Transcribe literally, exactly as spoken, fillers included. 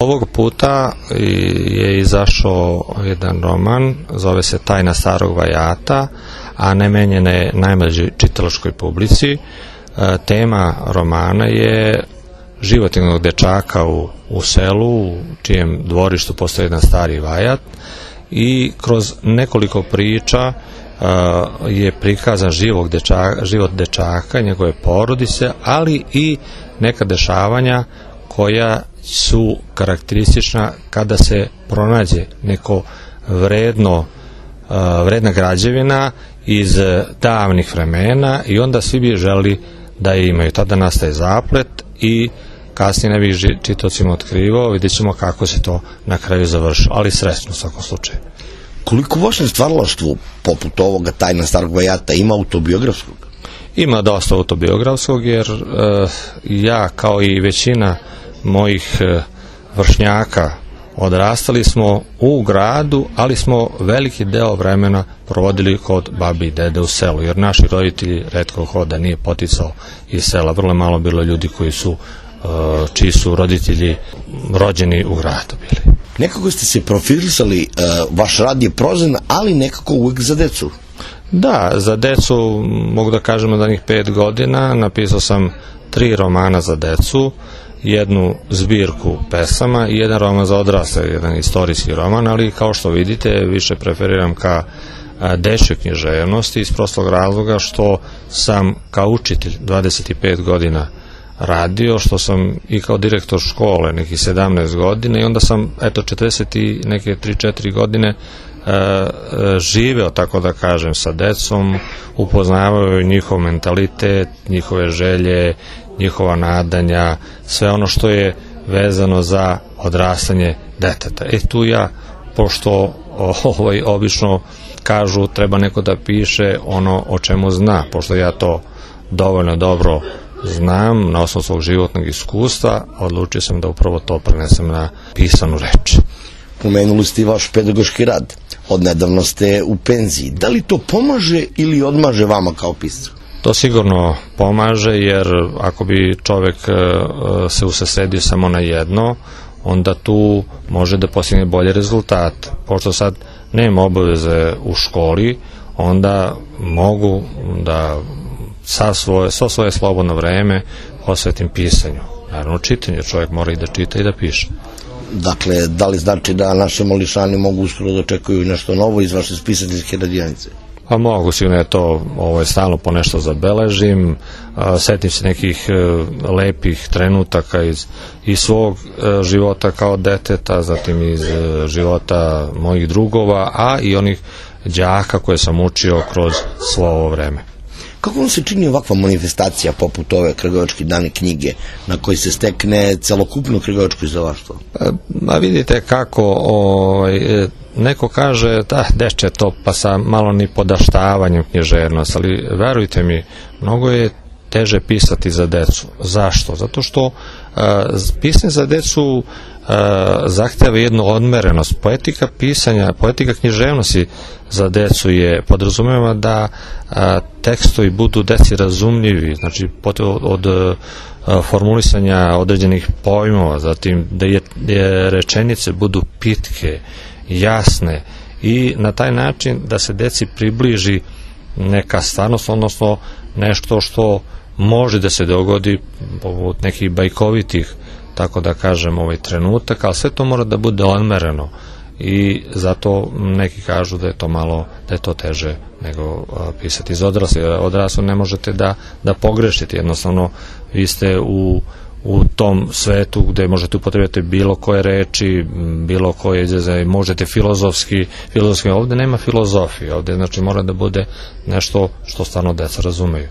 Ovog puta je izašao jedan roman, zove se Tajna starog vajata, a namenjen je najmlađoj čitalačkoj publici. Tema romana je život jednog dečaka u, u selu, u čijem dvorištu postoji jedan stari vajat, i kroz nekoliko priča uh, je prikazan živog dečaka, život dečaka, njegove porodice, ali i neka dešavanja koja su karakteristična kada se pronađe neko vredno, vredna građevina iz davnih vremena i onda svi bi želi da je imaju. Tada nastaje zaplet i kasnije ne bih čitaocima otkrivao, vidjet ćemo kako se to na kraju završilo, ali srećno u svakom slučaju. Koliko u vašem stvaralaštvu, poput ovoga Tajna starog vajata, ima autobiografskog? Ima dosta autobiografskog, jer uh, ja, kao i većina mojih uh, vršnjaka, odrastali smo u gradu, ali smo veliki deo vremena provodili kod babi i dede u selu, jer naši roditelji retko hoda nije poticao iz sela. Vrlo malo bilo ljudi koji su, uh, čiji su roditelji rođeni u gradu bili. Nekako ste se profilisali, uh, vaš rad je prozan, ali nekako uvijek za decu. Da, za decu mogu da kažemo da njih pet godina napisao sam tri romana za decu, jednu zbirku pesama i jedan roman za odrasle, jedan istorijski roman, ali kao što vidite više preferiram ka dečjoj književnosti iz prostog razloga što sam kao učitelj dvadeset pet godina radio, što sam i kao direktor škole nekih sedamnaest godina i onda sam eto četrdeset i neke tri četiri godine živeo, tako da kažem, sa decom, upoznavaju njihov mentalitet, njihove želje, njihova nadanja, sve ono što je vezano za odrastanje deteta. E tu ja, pošto ovaj, obično kažu treba neko da piše ono o čemu zna, pošto ja to dovoljno dobro znam na osnovu svog životnog iskustva, odlučio sam da upravo to prenesem na pisanu reč. Pomenuli ste i vaš pedagoški rad. Odnedavno ste u penziji. Da li to pomaže ili odmaže vama kao piscu? To sigurno pomaže, jer ako bi čovek se usredsredio samo na jedno, onda tu može da postigne bolje rezultate. Pošto sad nema obaveze u školi, onda mogu da sa svoje, sa svoje slobodno vreme posvetim pisanju. Naravno, čitanju, čovjek mora i da čita i da piše. Dakle, da li znači da naše mališani mogu uskoro da očekuju nešto novo iz vaše spisateljske radionice? Pa mogu, sigurno je to, ovo je stalno po nešto zabeležim, a, setim se nekih e, lepih trenutaka iz, iz svog e, života kao deteta, zatim iz e, života mojih drugova, a i onih đaka koje sam učio kroz svo ovo vreme. Kako vam se čini ovakva manifestacija poput ove Kragujevačke dane knjige na koji se stekne celokupno kragujevačko izdavaštvo? A vidite kako, ovaj, neko kaže da deče to pa sa malo ni podaštavanjem književnost, ali verujte mi, mnogo je teže pisati za decu. Zašto? Zato što uh, pisanje za decu uh, zahteva jednu odmerenost. Poetika pisanja, poetika književnosti za decu je podrazumeva da uh, tekstovi budu deci razumljivi, znači od, od uh, formulisanja određenih pojmova, zatim da je, je rečenice budu pitke, jasne i na taj način da se deci približi neka stvarnost, odnosno nešto što može da se dogodi poput nekih bajkovitih, tako da kažem, ovaj trenutak, ali sve to mora da bude odmereno i zato neki kažu da je to malo, da je to teže nego a, pisati iz odrasli. Odrasli ne možete da, da pogrešite, jednostavno vi ste u u tom svetu gde možete upotrebiti bilo koje reči, bilo koje izraze, možete filozofski, filozofski, ovde nema filozofije, ovde znači mora da bude nešto što stvarno deca razumeju.